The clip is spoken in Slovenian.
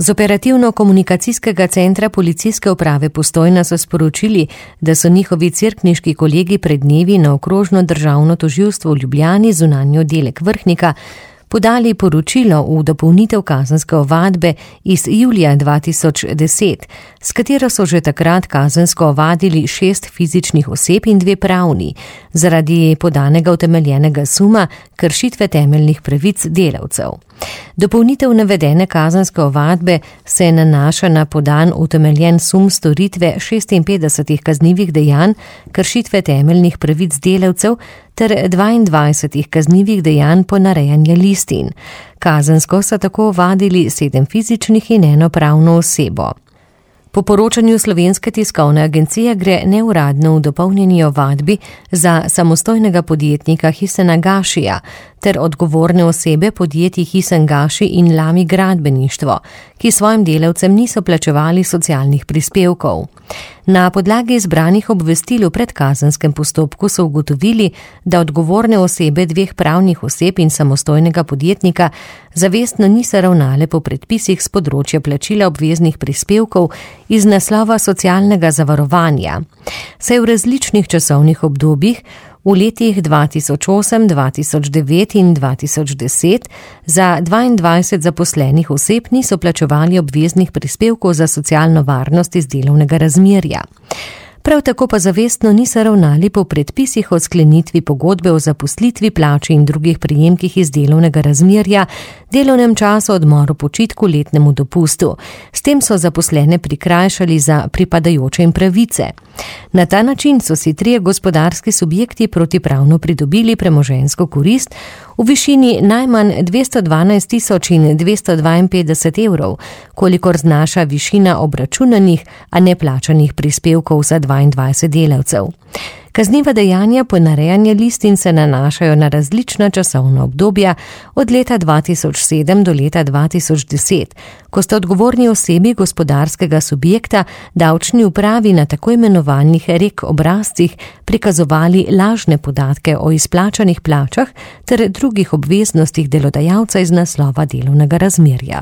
Z operativno-komunikacijskega centra policijske uprave Postojna so sporočili, da so njihovi cerkniški kolegi pred dnevi na okrožno državno tožilstvo v Ljubljani, zunanji oddelek Vrhnika, podali poročilo v dopolnitev kazenske ovadbe iz julija 2010, s katero so že takrat kazensko ovadili 6 fizičnih oseb in 2 pravni, zaradi podanega utemeljenega suma kršitve temeljnih pravic delavcev. Dopolnitev navedene kazenske ovadbe se nanaša na podan utemeljen sum storitve 56 kaznivih dejanj kršitve temeljnih pravic delavcev ter 22 kaznivih dejanj ponarejanja listin. Kazensko so tako ovadili 7 fizičnih in 1 pravno osebo. Po poročanju Slovenske tiskovne agencije gre neuradno v dopolnjeni ovadbi za samostojnega podjetnika Hisena Gašija ter odgovorne osebe podjetij Hisen Gaši in Lami gradbeništvo, ki svojim delavcem niso plačevali socialnih prispevkov. Na podlagi izbranih obvestil v predkazenskem postopku so ugotovili, da odgovorne osebe 2 pravnih oseb in samostojnega podjetnika zavestno niso ravnale po predpisih s področja plačila obveznih prispevkov iz naslova socialnega zavarovanja. Saj v različnih časovnih obdobjih v letih 2008, 2009 in 2010 za 22 zaposlenih oseb niso plačevali obveznih prispevkov za socialno varnost iz delovnega razmerja. Prav tako pa zavestno niso ravnali po predpisih o sklenitvi pogodbe o zaposlitvi, plači in drugih prejemkih iz delovnega razmerja, delovnem času, odmoru, počitku, letnemu dopustu. S tem so zaposlene prikrajšali za pripadajoče jim pravice. Na ta način so si 3 gospodarski subjekti protipravno pridobili premoženjsko korist v višini najmanj 212.252 evrov, kolikor znaša višina obračunanih, a neplačanih prispevkov za 22 delavcev. Kazniva dejanja ponarejanja listin se nanašajo na različna časovna obdobja od leta 2007 do leta 2010, ko sta odgovorni osebi gospodarskega subjekta davčni upravi na tako imenovanih REK obrazcih prikazovali lažne podatke o izplačanih plačah ter drugih obveznostih delodajalca iz naslova delovnega razmerja.